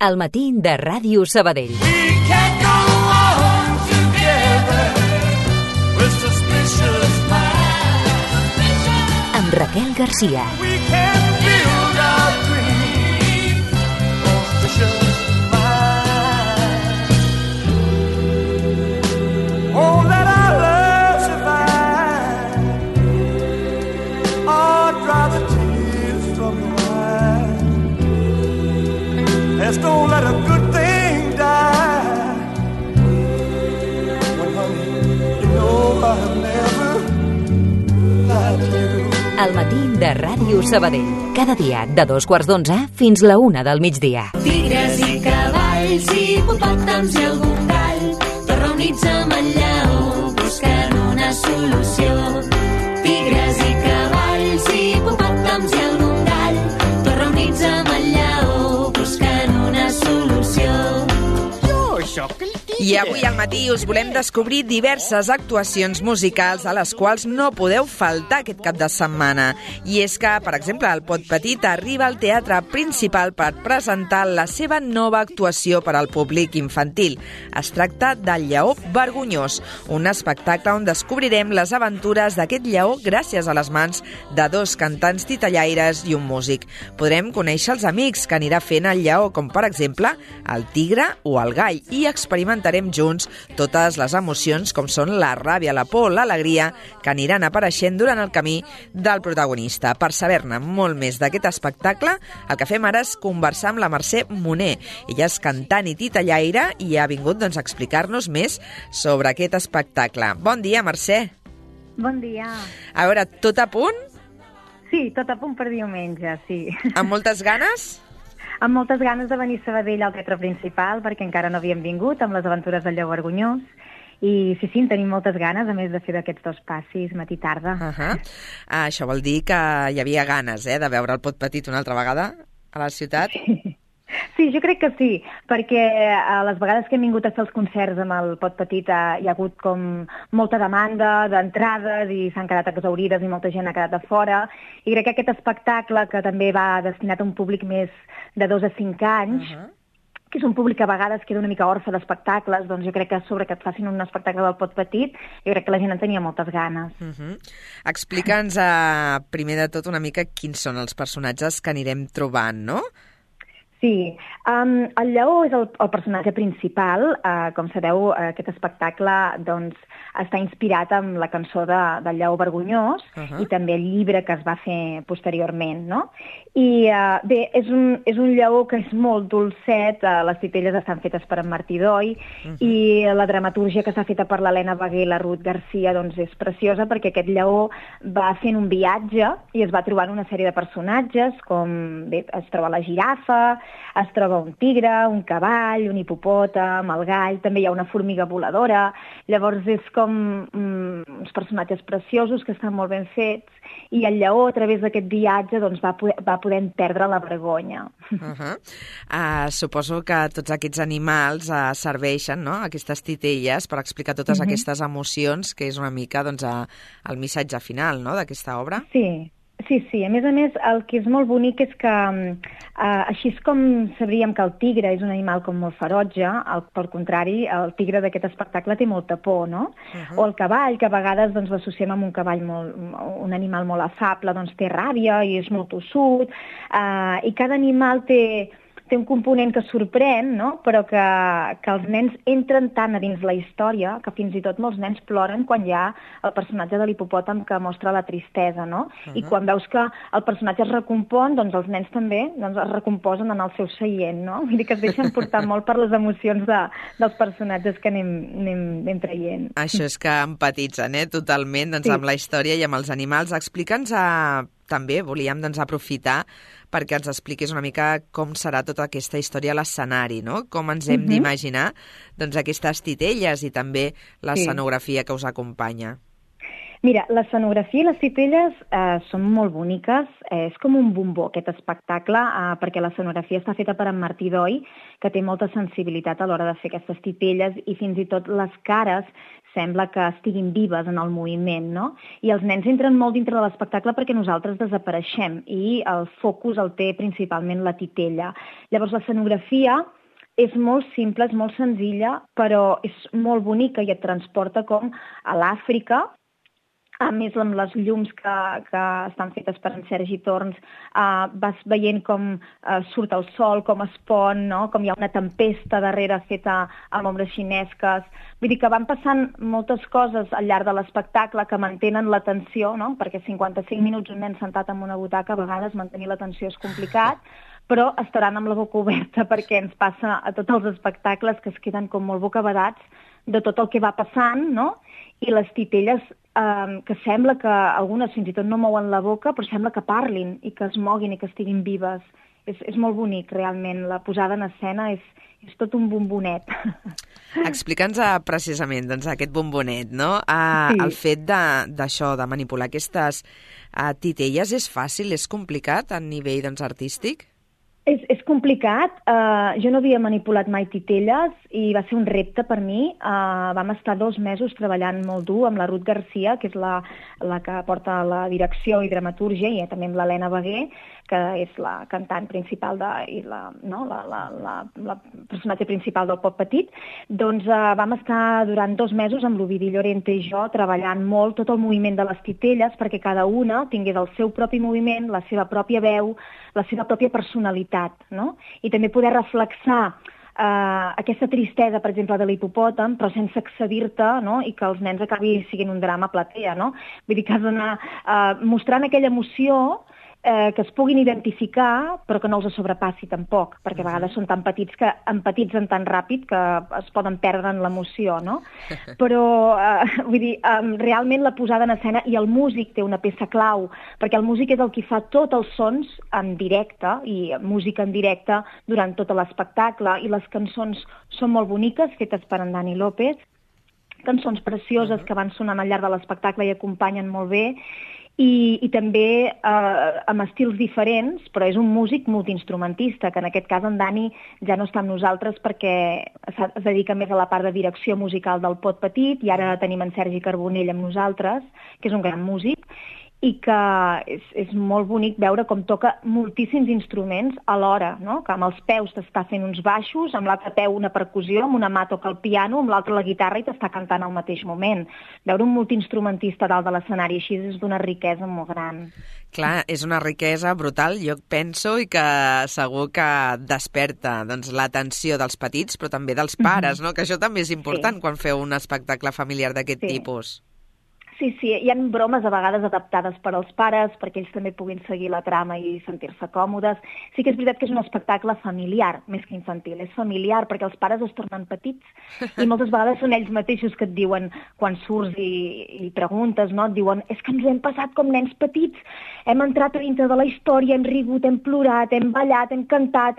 Al matí de Ràdio Sabadell. Amb Raquel Garcia. Don't let a good thing die. When honey, you know I've never lied to you. Al matí de Ràdio Sabadell. Cada dia de 2:15 fins la 1 del migdia. Tigres i cavalls i hipopòtams i algun gall, tots reunits amb el lleó buscant una solució. Tigres i cavalls i hipopòtams i algun gall, tots reunits amb el lleó buscant una solució. Jo sóc el tigre. I avui al matí us volem descobrir diverses actuacions musicals a les quals no podeu faltar aquest cap de setmana. I és que, per exemple, el Pot Petit arriba al Teatre Principal per presentar la seva nova actuació per al públic infantil. Es tracta del Lleó Vergonyós, un espectacle on descobrirem les aventures d'aquest lleó gràcies a les mans de dos cantants titellaires i un músic. Podrem conèixer els amics que anirà fent el lleó, com per exemple el tigre o el gall, i experimentarem junts totes les emocions com són la ràbia, la por, l'alegria, que aniran apareixent durant el camí del protagonista. Per saber-ne molt més d'aquest espectacle, el que fem ara és conversar amb la Mercè Moner. Ella és cantant i titellaire i ha vingut a explicar-nos més sobre aquest espectacle. Bon dia, Mercè. Bon dia. A veure, tot a punt? Sí, tot a punt per diumenge, sí. Amb moltes ganes? Amb moltes ganes de venir a Sabadell al Teatre Principal, perquè encara no havíem vingut amb les aventures del Lleó Vergonyós. I sí, en tenim moltes ganes, a més de fer d'aquests dos passis matí-tarda. Això vol dir que hi havia ganes, de veure el Pot Petit una altra vegada a la ciutat? Sí, jo crec que sí, perquè a les vegades que hem vingut a fer els concerts amb el Pot Petit hi ha hagut com molta demanda d'entrades i s'han quedat exaurides i molta gent ha quedat a fora. I crec que aquest espectacle, que també va destinat a un públic més de 2 a 5 anys, que és un públic que a vegades queda una mica orfe d'espectacles, doncs jo crec que sobre que et facin un espectacle del Pot Petit, jo crec que la gent en tenia moltes ganes. Explica'ns primer de tot una mica quins són els personatges que anirem trobant, no? Sí, el lleó és el personatge principal. Com sabeu, aquest espectacle doncs, està inspirat en la cançó del Lleó Vergonyós i també el llibre que es va fer posteriorment, no? I bé, és un lleó que és molt dolcet, les titelles estan fetes per en Martí Doi i la dramatúrgia que s'ha feta per l'Helena Bagué i la Ruth Garcia doncs, és preciosa perquè aquest lleó va fent un viatge i es va trobant una sèrie de personatges, com bé, es troba la girafa, es troba un tigre, un cavall, un hipopòtam, el gall, també hi ha una formiga voladora. Llavors és com uns personatges preciosos que estan molt ben fets i el lleó a través d'aquest viatge doncs, va podent perdre la vergonya. Suposo que tots aquests animals serveixen, no?, aquestes titelles per explicar totes aquestes emocions, que és una mica doncs, el missatge final, no?, d'aquesta obra. Sí. Sí. A més, el que és molt bonic és que així és com sabríem que el tigre és un animal com molt ferotge, per contrari, el tigre d'aquest espectacle té molta por, no? O el cavall, que a vegades doncs, l'associem amb un cavall un animal molt afable, doncs té ràbia i és molt tossut, i cada animal té un component que sorprèn, no? Però que els nens entren tant a dins la història que fins i tot molts nens ploren quan hi ha el personatge de l'hipopòtam que mostra la tristesa, no? I quan veus que el personatge es recompon, doncs els nens també es recomposen en el seu seient, no? Vull dir que es deixen portar molt per les emocions dels personatges que anem traient. Això és que empatitzen, totalment, doncs, amb la història i amb els animals. Explica'ns també, volíem aprofitar perquè ens expliquis una mica com serà tota aquesta història a l'escenari, no? Com ens hem d'imaginar doncs, aquestes titelles i també l'escenografia que us acompanya. Mira, l'escenografia i les titelles són molt boniques. És com un bombó, aquest espectacle, perquè l'escenografia està feta per en Martí Doi, que té molta sensibilitat a l'hora de fer aquestes titelles, i fins i tot les cares sembla que estiguin vives en el moviment, no? I els nens entren molt dintre de l'espectacle perquè nosaltres desapareixem, i el focus el té principalment la titella. Llavors, l'escenografia és molt simple, és molt senzilla, però és molt bonica i et transporta com a l'Àfrica. A més, amb les llums que estan fetes per en Sergi Torns, vas veient com surt el sol, com es pon, no? Com hi ha una tempesta darrere feta amb ombres xinesques. Vull dir que van passant moltes coses al llarg de l'espectacle que mantenen l'atenció, no? Perquè 55 minuts un nen sentat en una butaca, a vegades mantenir l'atenció és complicat, però estaran amb la boca oberta perquè ens passa a tots els espectacles que es queden com molt bocabadats de tot el que va passant, no? I les titelles, que sembla que algunes fins i tot no mouen la boca, però sembla que parlin i que es moguin i que estiguin vives. És molt bonic, realment. La posada en escena és tot un bombonet. Explica'ns precisament aquest bombonet, no? Sí. El fet d'això, de manipular aquestes titelles, és fàcil, és complicat a nivell artístic? És complicat. Jo no havia manipulat mai titelles i va ser un repte per mi. Vam estar 2 mesos treballant molt dur amb la Ruth Garcia, que és la que porta la direcció i dramatúrgia, i també amb l'Helena Beguer, que és la cantant principal i la personatge principal del Pop Petit. Doncs vam estar durant 2 mesos amb l'Ovidi Llorente i jo treballant molt tot el moviment de les titelles perquè cada una tingués el seu propi moviment, la seva pròpia veu, la seva pròpia personalitat, no? I també poder reflexar aquesta tristesa, per exemple, de l'hipopòtam, però sense excedir-te, no? I que els nens acabi siguent un drama a platea, no? Vull dir que has d'anar mostrant aquella emoció que es puguin identificar, però que no els sobrepassi tampoc, perquè a vegades són tan petits que empatitzen tan ràpid que es poden perdre en l'emoció, no? Però, vull dir, realment la posada en escena, i el músic té una peça clau, perquè el músic és el que fa tots els sons en directe, i música en directe durant tot l'espectacle, i les cançons són molt boniques, fetes per en Dani López, cançons precioses que van sonant al llarg de l'espectacle i acompanyen molt bé, i també amb estils diferents, però és un músic multiinstrumentista, que en aquest cas en Dani ja no està amb nosaltres perquè es dedica més a la part de direcció musical del Pot Petit, i ara tenim en Sergi Carbonell amb nosaltres, que és un gran músic, i que és molt bonic veure com toca moltíssims instruments alhora, no? Que amb els peus t'està fent uns baixos, amb l'altre peu una percussió, amb una mà toca el piano, amb l'altra la guitarra, i t'està cantant al mateix moment. Veure un multiinstrumentista dalt de l'escenari així és d'una riquesa molt gran. Clar, és una riquesa brutal, jo penso, i que segur que desperta l'atenció dels petits, però també dels pares, no? Que això també és important quan feu un espectacle familiar d'aquest tipus. Sí, hi ha bromes a vegades adaptades per als pares, perquè ells també puguin seguir la trama i sentir-se còmodes. Sí que és veritat que és un espectacle familiar, més que infantil. És familiar perquè els pares es tornen petits i moltes vegades són ells mateixos que et diuen, quan surts i preguntes, no? Et diuen, és que ens ho hem passat com nens petits, hem entrat a dintre de la història, hem rigut, hem plorat, hem ballat, hem cantat,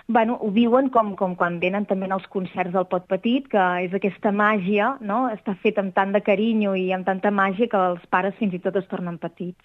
Bueno, ho viuen com quan venen també als concerts del Pot Petit, que és aquesta màgia, no? Està fet amb tant de carinyo i amb tanta màgia que els pares fins i tot es tornen petits.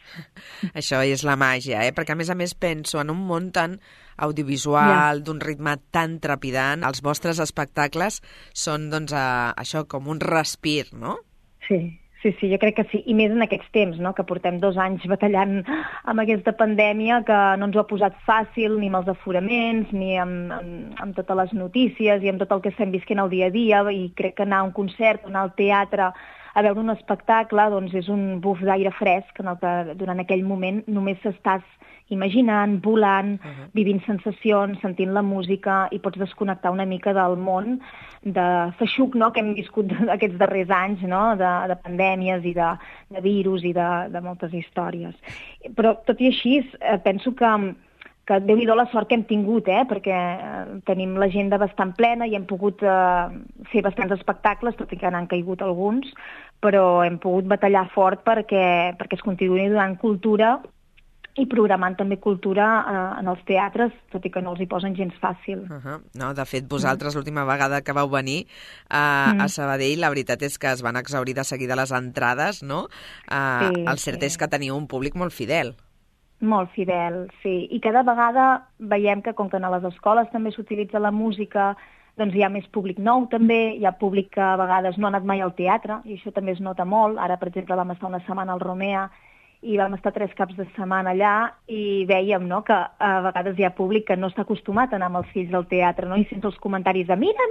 Això és la màgia, perquè a més penso en un món tan audiovisual, d'un ritme tan trepidant. Els vostres espectacles són, això, com un respir, no? Sí, jo crec que sí, i més en aquests temps, no? Que portem 2 anys batallant amb aquesta pandèmia que no ens ho ha posat fàcil, ni amb els aforaments, ni amb totes les notícies i amb tot el que estem visquent al dia a dia, i crec que anar a un concert, anar al teatre, a veure un espectacle, doncs és un buf d'aire fresc en el que durant aquell moment només estàs imaginant, volant, vivint sensacions, sentint la música, i pots desconnectar una mica del món de feixuc, no?, que hem viscut aquests darrers anys, no?, de pandèmies i de virus i de moltes històries. Però tot i així penso que Déu-n'hi-do la sort que hem tingut, perquè tenim l'agenda bastant plena i hem pogut fer bastants espectacles, tot i que n'han caigut alguns, però hem pogut batallar fort perquè es continuï donant cultura i programant també cultura en els teatres, tot i que no els hi posen gens fàcil. No, de fet, vosaltres l'última vegada que vau venir a Sabadell, la veritat és que es van exhaurir de seguida les entrades, no? El cert és que teniu un públic molt fidel. Molt fidel, sí. I cada vegada veiem que, com que a les escoles també s'utilitza la música, doncs hi ha més públic nou també, hi ha públic que a vegades no ha anat mai al teatre, i això també es nota molt. Ara, per exemple, vam estar una setmana al Romea i vam estar 3 caps de setmana allà i vèiem, no?, que a vegades hi ha públic que no està acostumat a anar amb els fills al teatre, no?, i sents els comentaris de mira,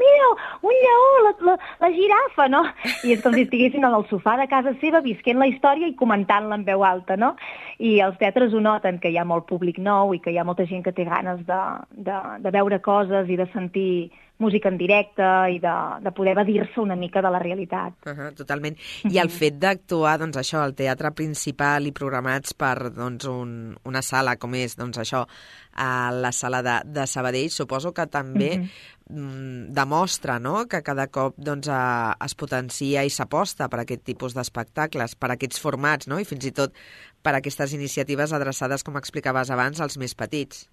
un lleó, la girafa, no? I és com si estiguessin en el sofà de casa seva visquent la història i comentant-la en veu alta, no? I els teatres ho noten, que hi ha molt públic nou i que hi ha molta gent que té ganes de veure coses i de sentir música en directe i de poder evadir-se una mica de la realitat. Totalment. I el fet d'actuar, doncs això, al teatre principal i programats per doncs, una sala com és, doncs això, la sala de Sabadell, suposo que també demostra, no?, que cada cop doncs, es potencia i s'aposta per aquest tipus d'espectacles, per aquests formats, no?, i fins i tot per aquestes iniciatives adreçades, com explicaves abans, als més petits.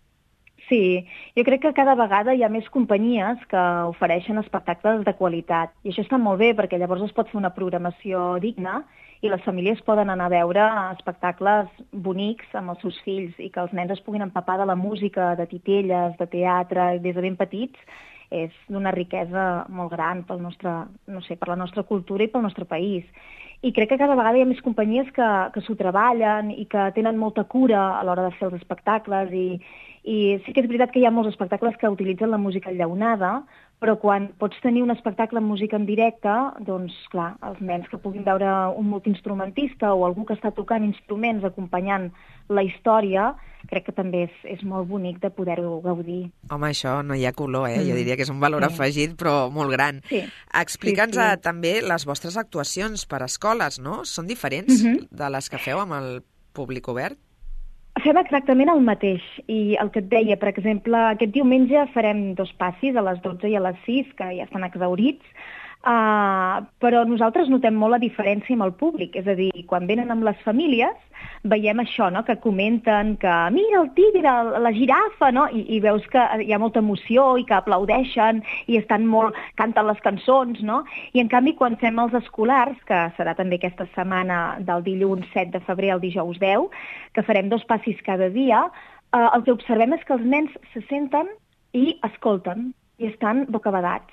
Sí, jo crec que cada vegada hi ha més companyies que ofereixen espectacles de qualitat. I això està molt bé, perquè llavors es pot fer una programació digna i les famílies poden anar a veure espectacles bonics amb els seus fills i que els nens es puguin empapar de la música, de titelles, de teatre, des de ben petits, és d'una riquesa molt gran pel nostre, no sé, per la nostra cultura i pel nostre país. I crec que cada vegada hi ha més companyies que s'ho treballen i que tenen molta cura a l'hora de fer els espectacles i sí que és veritat que hi ha molts espectacles que utilitzen la música enllaunada, però quan pots tenir un espectacle amb música en directe, doncs, clar, els nens que puguin veure un multiinstrumentista o algú que està tocant instruments acompanyant la història, crec que també és molt bonic de poder-ho gaudir. Home, això no hi ha color, Jo diria que és un valor afegit, però molt gran. Sí. Explica'ns també les vostres actuacions per escoles, no? Són diferents de les que feu amb el públic obert? Fem exactament el mateix, i el que et deia, per exemple, aquest diumenge farem 2 passis, a les 12 i a les 6, que ja estan exhaurits, però nosaltres notem molt la diferència amb el públic, és a dir, quan venen amb les famílies veiem això, no?, que comenten que mira el tigre, la girafa, no?, i veus que hi ha molta emoció i que aplaudeixen i canten les cançons, no?, i en canvi quan fem els escolars, que serà també aquesta setmana del dilluns 7 de febrer al dijous 10, que farem 2 passis cada dia, el que observem és que els nens se senten i escolten i estan bocabadats.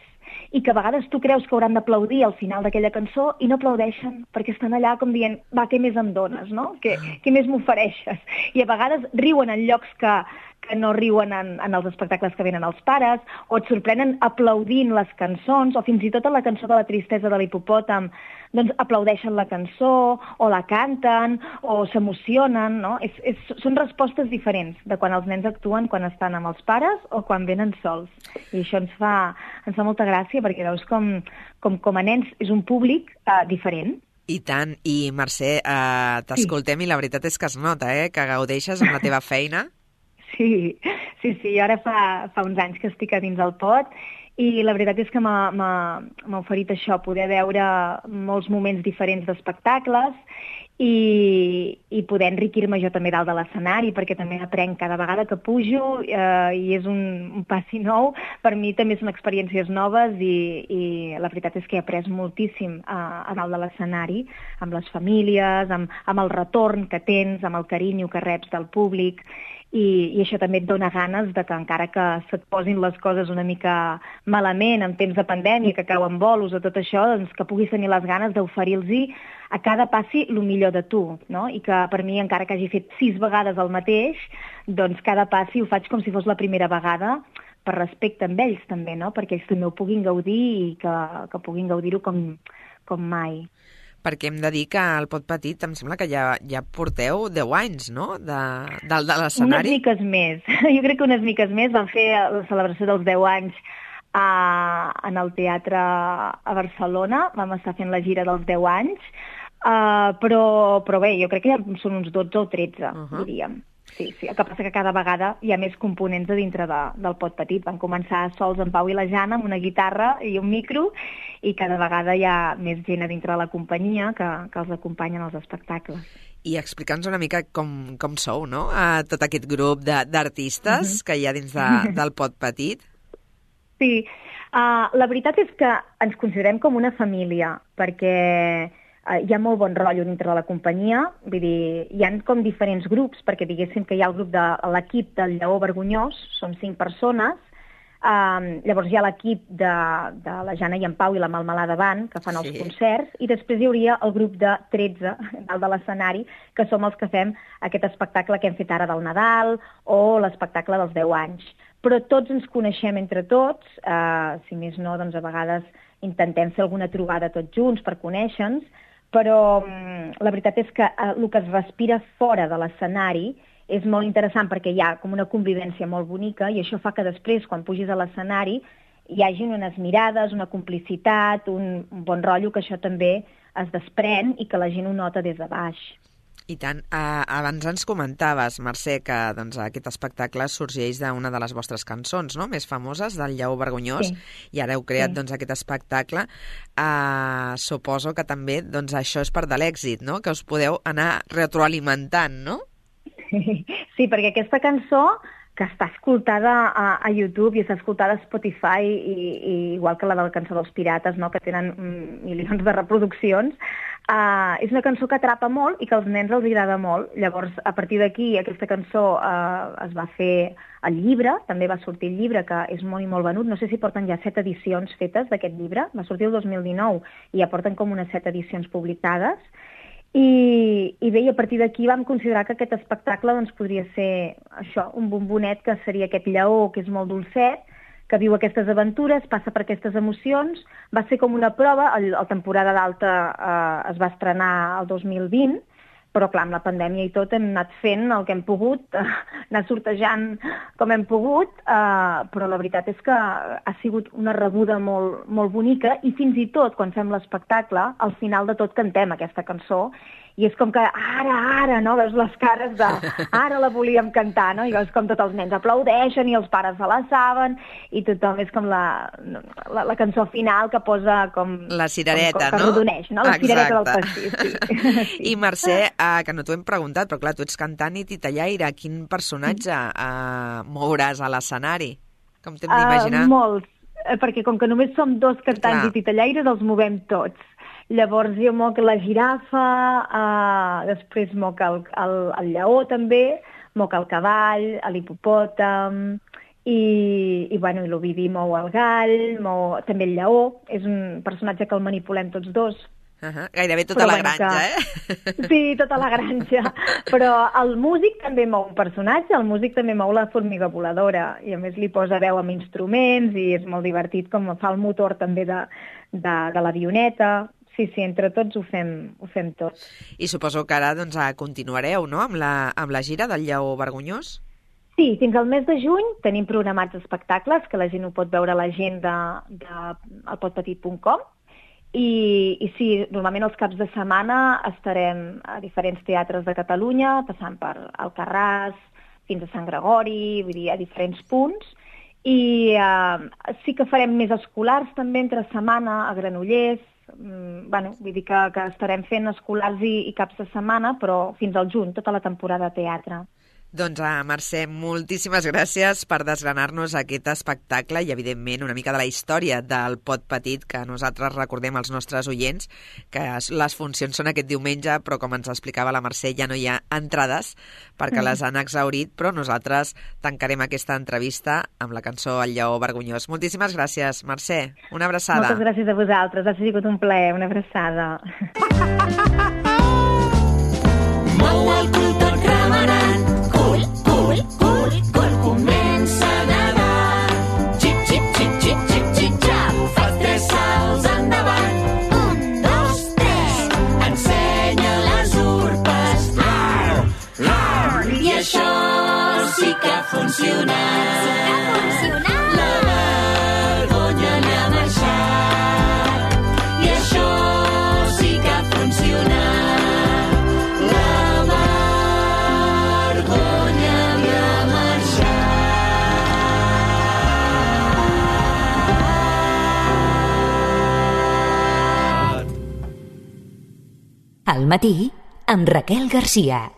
I que a vegades tu creus que hauran d'aplaudir al final d'aquella cançó i no aplaudeixen, perquè estan allà com dient, va, què més em dones, no? Què més m'ofereixes? I a vegades riuen en llocs que no riuen en els espectacles que venen els pares, o et sorprenen aplaudint les cançons, o fins i tot a la cançó de la tristesa de l'hipopòtam, doncs aplaudeixen la cançó, o la canten, o s'emocionen, no? Són respostes diferents de quan els nens actuen quan estan amb els pares o quan venen sols. I això ens fa molta gràcia, perquè veus com a nens és un públic diferent. I tant. I Mercè, t'escoltem i la veritat és que es nota, que gaudeixes amb la teva feina. Sí, ara fa uns anys que estic a dins el pot i la veritat és que m'ha oferit això, poder veure molts moments diferents d'espectacles i poder enriquir-me jo també dalt de l'escenari, perquè també aprenc cada vegada que pujo i és un passi nou. Per mi també són experiències noves i la veritat és que he après moltíssim a dalt de l'escenari, amb les famílies, amb el retorn que tens, amb el carinyo que reps del públic. I això també et dona ganes de que encara que se't posin les coses una mica malament en temps de pandèmia, que cauen bolos o tot això, doncs que puguis tenir les ganes d'oferir-los a cada passi el millor de tu, no? I que per mi, encara que hagi fet 6 vegades el mateix, doncs cada passi ho faig com si fos la primera vegada, per respecte amb ells també, no? Perquè ells també ho puguin gaudir i que puguin gaudir-ho com mai. Perquè hem de dir que al Pot Petit em sembla que ja porteu 10 anys, no?, de l'escenari. Unes miques més. Jo crec que unes miques més. Vam fer la celebració dels 10 anys en el teatre a Barcelona. Vam estar fent la gira dels 10 anys. Però bé, jo crec que ja són uns 12 o 13, diríem. Sí. El que passa que cada vegada hi ha més components a dintre del Pot Petit. Van començar sols en Pau i la Jana amb una guitarra i un micro i cada vegada hi ha més gent a dintre de la companyia que els acompanyen als espectacles. I explica'ns una mica com sou, no? Tot aquest grup d'artistes que hi ha dins del Pot Petit. Sí, la veritat és que ens considerem com una família, perquè hi ha molt bon rotllo dintre de la companyia, vull dir, hi ha com diferents grups, perquè diguéssim que hi ha el grup de l'equip del Lleó Vergonyós, som 5 persones, llavors hi ha l'equip de la Jana i en Pau i la Malmelada Band, que fan els concerts, i després hi hauria el grup de 13, dalt de l'escenari, que som els que fem aquest espectacle que hem fet ara del Nadal o l'espectacle dels 10 anys. Però tots ens coneixem entre tots, si més no, doncs a vegades intentem fer alguna trobada tots junts per conèixer-nos, però la veritat és que el que es respira fora de l'escenari és molt interessant perquè hi ha com una convivència molt bonica i això fa que després, quan pugis a l'escenari, hi hagi unes mirades, una complicitat, un bon rotllo, que això també es desprèn i que la gent ho nota des de baix. I tant. Abans ens comentaves, Mercè, que doncs, aquest espectacle sorgeix d'una de les vostres cançons, no?, més famoses, del Lleó Vergonyós, i ara heu creat doncs, aquest espectacle. Suposo que també doncs, això és part de l'èxit, no?, que us podeu anar retroalimentant, no? Sí, perquè aquesta cançó, que està escoltada a YouTube i està escoltada a Spotify, i igual que la de la cançó dels Pirates, no?, que tenen milions de reproduccions, és una cançó que atrapa molt i que als nens els agrada molt. Llavors, a partir d'aquí, aquesta cançó es va fer el llibre, també va sortir el llibre, que és molt i molt venut. No sé si porten ja 7 edicions fetes d'aquest llibre, va sortir el 2019 i ja porten com unes 7 edicions publicades. I bé, i a partir d'aquí vam considerar que aquest espectacle doncs, podria ser això, un bombonet, que seria aquest lleó que és molt dolcet, que viu aquestes aventures, passa per aquestes emocions. Va ser com una prova, la temporada d'alta es va estrenar el 2020, però clar, amb la pandèmia i tot hem anat fent el que hem pogut, anar sortejant com hem pogut, però la veritat és que ha sigut una rebuda molt, molt bonica, i fins i tot quan fem l'espectacle, al final de tot cantem aquesta cançó, i és com que ara, no? Veus les cares de ara la volíem cantar, no? I veus com tots els nens aplaudeixen i els pares se la saben, i tothom és com la cançó final que posa com... La cirereta, que no? Rodoneix, no? La cirereta del pastís, sí. I Mercè, que no t'ho hem preguntat, però clar, tu ets cantant i titellaire. Quin personatge mouràs a l'escenari? Com t'hem d'imaginar? Molts, perquè com que només som 2 cantants i titellaires, els movem tots. Llavors jo moc la girafa, després moc el lleó també, moc el cavall, l'hipopòtam, i l'ovivi mou el gall, mou també el lleó, és un personatge que el manipulem tots 2. Gairebé tota la granja, Sí, tota la granja. Però el músic també mou un personatge, el músic també mou la formiga voladora, i a més li posa veu amb instruments, i és molt divertit com fa el motor també de l'avioneta. Sí, entre tots ho fem tot. I suposo que ara doncs, continuareu, no?, amb la gira del Lleó Vergonyós? Sí, fins al mes de juny tenim programats espectacles, que la gent ho pot veure a l'agenda del potpetit.com, i sí, normalment els caps de setmana estarem a diferents teatres de Catalunya, passant per Alcarràs, fins a Sant Gregori, vull dir, a diferents punts, i sí que farem més escolars també entre setmana a Granollers. Vull dir que estarem fent escolars i caps de setmana, però fins al juny, tota la temporada de teatre. Doncs, Mercè, moltíssimes gràcies per desgranar-nos aquest espectacle i, evidentment, una mica de la història del Pot Petit, que nosaltres recordem als nostres oients, que les funcions són aquest diumenge, però, com ens explicava la Mercè, ja no hi ha entrades perquè les han exhaurit, però nosaltres tancarem aquesta entrevista amb la cançó El Lleó Vergonyós. Moltíssimes gràcies, Mercè. Una abraçada. Moltes gràcies a vosaltres. Ha sigut un plaer. Una abraçada. Mou el cul tot remenant. Cul, comença a nedar. Xip, xip, xip, xip, xip, xip, xap. Fas 3 salts endavant. 1, 2, 3. Ensenya les urpes. I això sí que ha funcionat. La vergonya n'ha marxat. I això sí que ha funcionat. Al matí, amb Raquel Garcia.